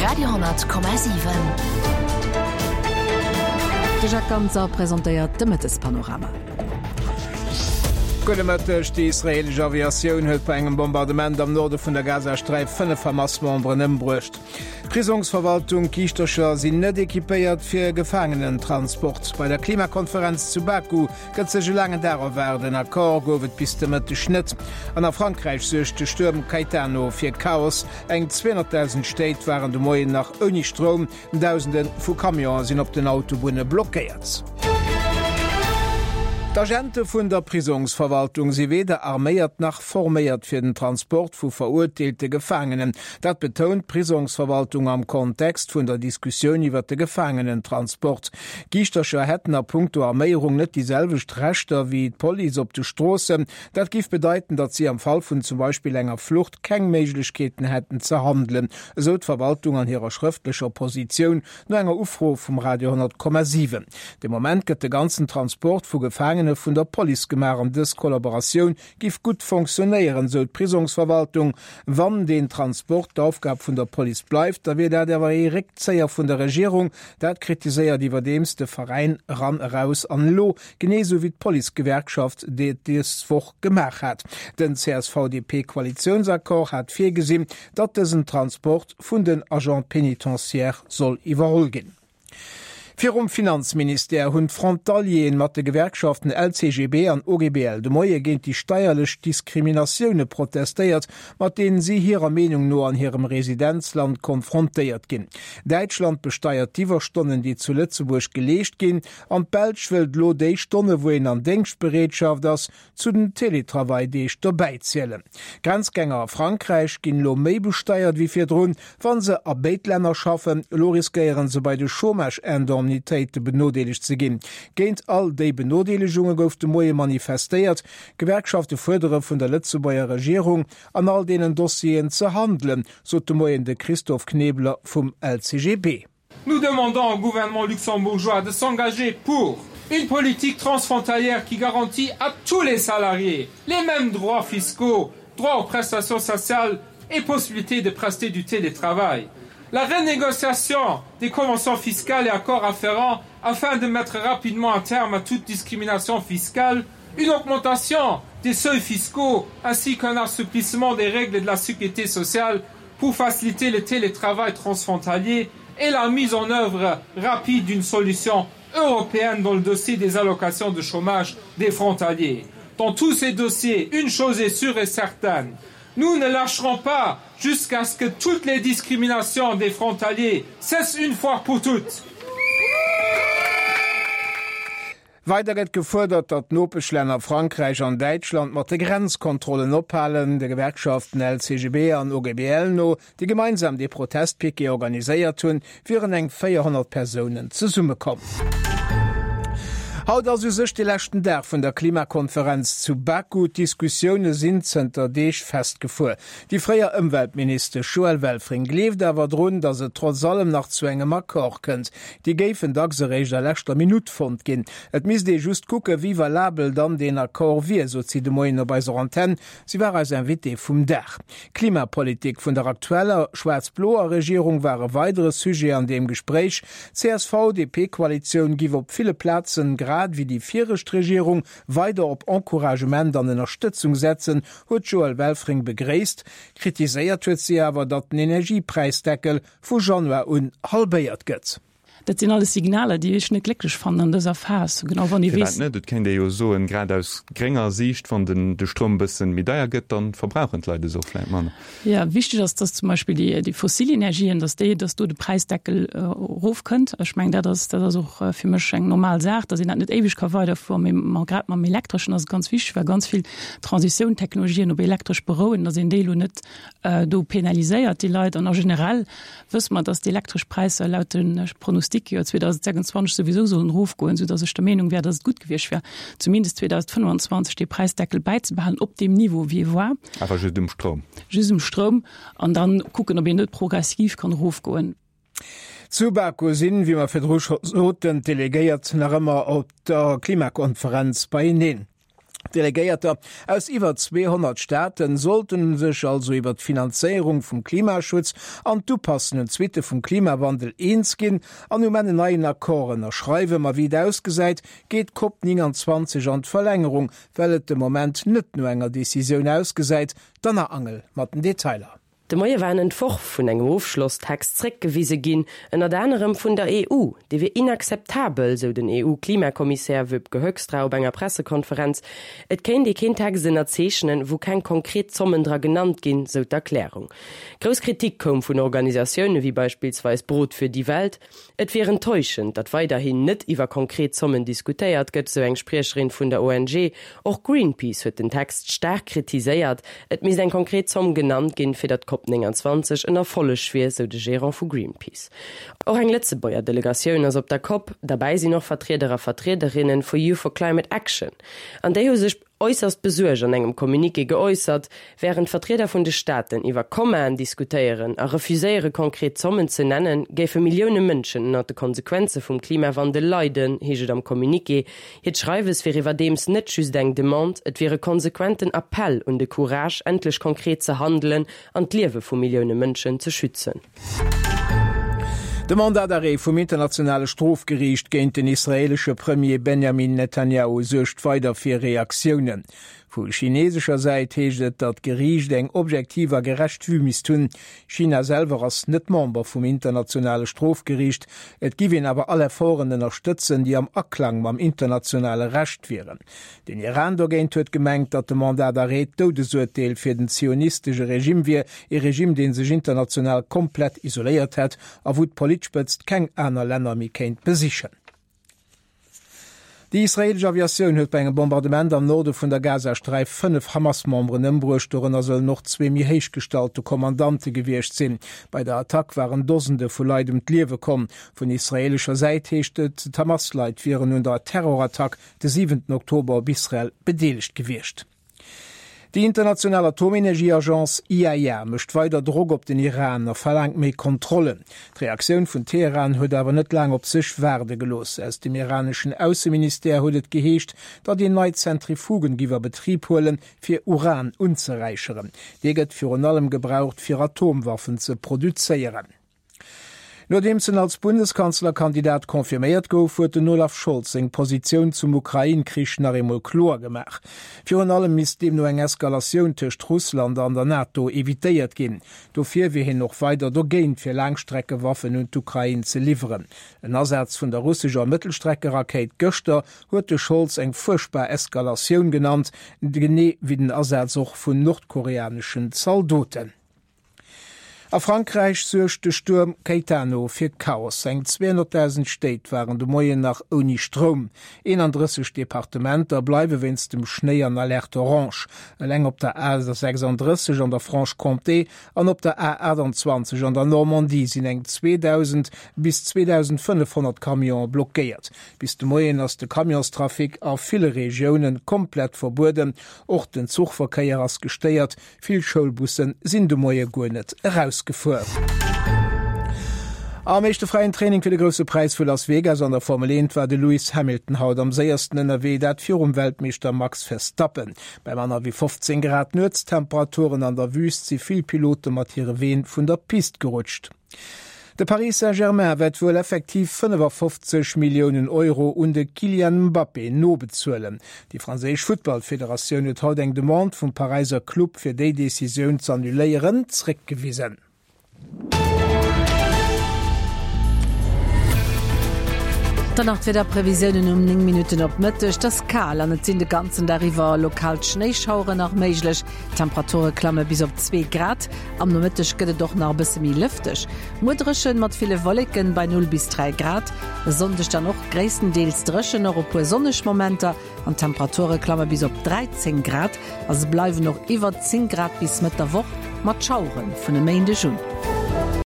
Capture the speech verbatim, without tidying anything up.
Radio honnert Komma siwen. De Jacques Ganser presentéiert de Mëttespanorama. Gudde Mëtteg, Déi israeelesch Aviatioun huet bei engem Bombardement am Norde vun der Gazasträif fënnef Hamas-Memberen ëmbruecht. Prisongsverwaltung, Giischtercher sinn net equipéiert fir Gefaangenentransport. Bei der Klimakonferenz zu Baku gëtt sech e laangen Dag erwaart, en Accord gouf et bis de Mëtteg net. An a Frankräich suergt de Stuerm Caetano fir Chaos, eng zweehonnertdausend Stéit waren de Moien nach ouni Stroum, Dausende vu Camionen sinn op den Autobunne blockéiert. D'Agente vun der Prisongsverwaltung si weder arméiert nach forméiert fir den Transport vu verurteelte Gefaangenen. Dat betount d'Prisongsverwaltung am Kontext vun der Diskussioun iwwer de Gefaangenentransport. Giischtercher hätten a punkto Arméierung net déi selwecht Rechter wéi d'Police op de Stroossen. Dat géif bedeiten, datt si am Fall vun zum Beispill enger Flucht keng Méiglechkeeten hätten ze handelen, esou d'Verwaltung an hirer schrëftlecher Positioun no enger Ufro vum Radio honnert Komma siwen. De Moment gëtt de ganzen Transport vu Gefaangene vun der Police gemaach an dës Kollaboratioun giff gutt fonctionnéieren, sou d'Prisongsverwaltung. Wann deen Transport d'Aufgab vun der Police bleift, da wier dat awer ee Réckzéier vun der Regierung. Dat kritiséiert iwwerdeems de Veräin Eran, Eraus an Elo, genee sou wéi d'Policegewerkschaft et dës Woch gemaach hat. Den C S V-D P-Koalitiounsaccord hat virgesinn, datt dësen Transport vun den Agents pénitentiaires soll iwwerholl ginn. Virum Finanzministère hunn d'Frontalieren mat de Gewerkschaften L C G B an O G B L de Moie géint déi steierlech Diskriminatioune protestéiert, mat deenen si hirer Meenung no an hirem Residenzland konfrontéiert ginn. Däitschland besteiert d'Iwwerstonnen, déi zu Lëtzebuerg geleescht ginn, an d'Belsch wëllt elo déi Stonne wou een an Déngschtbereetschaft ass, zu den Teletravail-Deeg dobäizielen. Grenzgänger a Frankräich ginn elo méi besteiert wéi virdrun, wa se a béid Länner schaffen. Elo riskéiere se bei de Chômage-Indemnitéite benodeelegt ze ginn. Géint all déi Benodeelegunge gouf de Moie manifestéiert. D'Gewerkschafte fuerdere vun der Lëtzebuerger Regierung, an all deenen Dossieren ze handelen, sot de Moien de Christophe Knebler vum L C G B. Nous demandons au gouvernement luxembourgeois de s'engager pour une politique transfrontalière qui garantit à tous les salariés les mêmes droits fiscaux, droits aux prestations sociales et possibilité de prester du télétravail. La renégociation des conventions fiscales et accords afférents afin de mettre rapidement un terme à toute discrimination fiscale, une augmentation des seuils fiscaux ainsi qu'un assouplissement des règles de la sécurité sociale pour faciliter le télétravail transfrontalier et la mise en œuvre rapide d'une solution européenne dans le dossier des allocations de chômage des frontaliers. Dans tous ces dossiers, une chose est sûre et certaine: nous ne lâcherons pas jusqu'à ce que toutes les discriminations des frontaliers cessent une fois pour toutes. Weider gëtt gefuerdert, datt d'Nopeschlänner Frankräich an Däitschland mat de Grenzkontrollen ophalen. De Gewerkschaften L C G B an O G B L no, déi gemeinsam dee Protestpiquet organiséiert hunn, wieren eng véierhonnert Persounen zesummekomm. Haut ass u sech de leschten Dag vun der Klimakonferenz zu Baku. D'Diskussioune sinn zënter Deeg festgefuer. Déi fréier Ëmweltministesch Joëlle Welfring gleeft awer drun, datt et trotz allem nach zu engem Accord kënnt. Déi géifen dacks eréischt a leschter Minutt fonnt ginn. Et misst ee just kucke wéi valabel dann deen Accord wier, sot si de Moien op eiser Antenn. Si war eis Invitée vum Dag. D'Klimapolitik vun der aktueller schwaarz-bloer Regierung war e weidere Sujet an deem Gespréich. D'C S V D P-Koalitioun giff op ville Plazen, grad wéi déi viregt Regierung, weider op Encouragement an Ënnerstëtzung setzen, huet d'Joëlle Welfring begréisst. Kritiséiert huet si awer, datt den Energiepräisdeckel vu Januar un halbéiert gëtt. Dat sinn alles Signaler, déi ech net glécklech fannen an dëser Phas, genau wann ee weess. Firwat net? Et kéint ee jo soen, grad aus grénger Siicht, wann den de Stroum e bëssen méi deier gëtt, dann verbrauchen d'Leit es och vläicht manner. Jo, wichteg ass, dass zum Beispill déi déi fossil Energien, dass déi, dass do de Präisdeckel erofkënnt. Ech mengen, dat ass, dat ass och fir mech eng normal Saach, dass een dat net éiweg ka weiderfueren. Mee ma grad mam Elektreschen ass et ganz wichteg, well ganz vill Transitioun-Technologien op Elektresch berouen, dass een déi elo net do penaliséiert, déi Leit. An a generell wësse mer, dass d'elektresch Präisser laut de Pronosticke jo zweedausendsechsundzwanzeg souwisou sollen erofgoen, soudass ech der Meenung wär, dass et gutt gewiescht wär, zumindest zweedausendfënnwandzwanzeg dee Präisdeckel bäizebehalen op deem Niveau, wéi e war. Awer just um Stroum. Just um Stroum. An dann kucken, ob een net progressiv kann erofgoen. Zu Baku sinn, wéi mer virdru scho soten, d'Delegéiert nach ëmmer op der Klimakonferenz beieneen. Delegéierter aus iwwer zweehonnert Staate sollten sech also iwwer d'Finanzéierung vum Klimaschutz an d'Upassen un d'Suitte vum Klimawandel eens ginn an um Enn en neien Accord ënnerschreiwen. Ma wéi et ausgesäit, geet d'Cop neunundzwanzeg an d'Verlängerung, well et de Moment net no enger Decisioun ausgesäit. D'Anna Angel mat den Detailer. De Moie war en Entworf vun engem Ofschlosstext zréckgewise ginn, ënnert anerem vun der E U. Dee wier inakzeptabel, sou den E U-Klimakommissär Wopke Hoekstra op enger Pressekonferenz. Et kéint ee keen Text ënnerzeechnen, wou keng konkret Zommen dra genannt ginn, sou d'Erklärung. Grouss Kritik koum vun Organisatioune wéi beispillsweis Brot für die Welt. Et wier enttäuschend, datt weiderhin net iwwer konkret Zommen diskutéiert gëtt, sou eng Spriecherin vun der O N G. Och Greenpeace huet den Text staark kritiséiert. Et misst eng konkret Zomm genannt ginn, fir datt d'Cop neunundzwanzeg en Erfolleg wier, sou de Gerant vu Greenpeace. Och eng Lëtzebuerger Delegatioun ass op der Cop. Derbäi sinn och Vertrieder a Vertriederinne vu Youth for Climate Action. An déi hu sech äusserst besuergt an engem Communiqué geäussert, Wärend Vertrieder vun de Staaten iwwer Kommaen diskutéieren a refuséiere konkret Zommen ze nennen, géife Millioune Mënschen ënnert de Konsequenze vum Klimawandel leiden, heescht et am Communiqué. Hiert Schreiwes wier iwwerdeems net just eng Demande, et wier e konsequenten Appell un de Courage, endlech konkret ze handelen an d'Liewe vu Millioune Mënschen ze schützen. De Mandat d'arrêt vum internationale Strofgeriicht géint den israeelesche Premier Benjamin Netanjahu suergt weider fir Reaktiounen. Vu chineesescher Säit heescht et, datt d'Geriicht eng objektiv a gerecht Vue misst hunn. China selwer ass net Member vum internationale Strofgeriicht, et giff een awer all Efforten ënnerstëtzen, déi am Aklang mam internationale Recht wieren. Den Iran dogéint huet gemengt, datt de Mandat d'arrêt d'Doudesurteel fir den zionistesche Regime wier, ee Regime, dee sech international komplett isoléiert hätt a wou d'Politspëtzt keng aner Länner méi kéint besichen. Déi israeelesch Aviatioun huet bei engem Bombardement am Norde vun der Gazasträif fënnef Hamas-Memberen ëmbruecht, dorënner sollen och zwee méi héich gestallte Kommandante gewiescht sinn. Bei der Attack waren Dosende vu Leit ëm d'Liewe komm. Vun israeelescher Säit heescht et, d'Hamas-Leit wieren un der Terrorattack de siwenten Oktober op Israel bedeelegt gewiescht. Déi international Atomenergieagence I A E A mécht weider Drock op den Iran a verlaangt méi Kontrollen. D'Reaktioun vun Teheran huet awer net laang op sech waarde gelooss. Aus dem iraneschen Ausseministère huet et geheescht, datt een nei Zentrifugen giff a Betrib huelen, fir Uran unzeräicheren. Dee gëtt virun allem gebraucht, fir Atomwaffen ze produzéieren. Nodeems en als Bundeskanzlerkandidat confirméiert gouf, huet den Olaf Scholz seng Positioun zum Ukrain-Krich nach eemol kloer gemaach. Virun allem misst deemno eng Eskalatioun tëscht Russland an der NATO evitéiert ginn. Dofir wier hien och weider dogéint, fir Laangstreckewaffen un d'Ukrain ze liwweren. En Asaz vun der russescher Mëttelstreckerakéit gëschter huet de Scholz eng fuerchtbar Eskalatioun genannt, genee wéi den Asaz och vun nordkoreaneschen Zaldoten. A Frankräich suergt de Stuerm Caetano fir Chaos. Eng zweehonnertdausend Stéit waren de Moien nach ouni Stroum. eenandrësseg Departementer bleiwe wéinst dem Schnéi an Alerte orange. Eleng op der A sechsandrësseg an der Franche-Comté an op der A aachtanzwanzeg an der Normandie sinn eng zweedausend bis zweedausendfënnefhonnert Camionen blockéiert. Bis de Moien ass de Camionstrafic a ville Regioune komplett verbueden. Och den Zuchverkéier ass gestéiert. Vill Schoulbusse sinn de Moie guer net erausgefuer. Am éischte fräien Training fir de Grousse Präis vu Las Vegas an der Formel eent war de Lewis Hamilton haut am séiersten ënnerwee, dat virum Weltmeeschter Max Verstappen. Bei manner wéi fofzéng Grad Nuetstemperaturen an der Wüüst si vill Pilote mat hire Ween vun der Pist gerutscht. De Paris Saint-Germain wäert wuel effektiv fënnefafofzeg Milliounen Euro un de Kylian Mbappé nobezuelen. Déi franséisch Futtballfederatioun huet haut eng Demande vum Paräisser Club fir déi Decisioun z'annuléieren zréckgewisen. Dann nach d'Wiederprevisiounen um néng Minutten op Mëtteg. Et ass kal an et sinn de ganzen Dag iwwer lokal Schnéischaueren nach méiglech. D'Temperature klamme bis op zwee Grad. Am Nomëtteg gëtt et och nach e bësse méi lëfteg. Muer dréchen mat ville Wolleken bei null bis dräi Grad. E Sonndeg dann och gréisstendeels dréchen, och e puer sonneg Momenter an d'Temperature klamme bis op dräizéng Grad a se bleiwen och iwwer zéng Grad bis Mëtt der Woch mat Schauere vun e Méindeg un.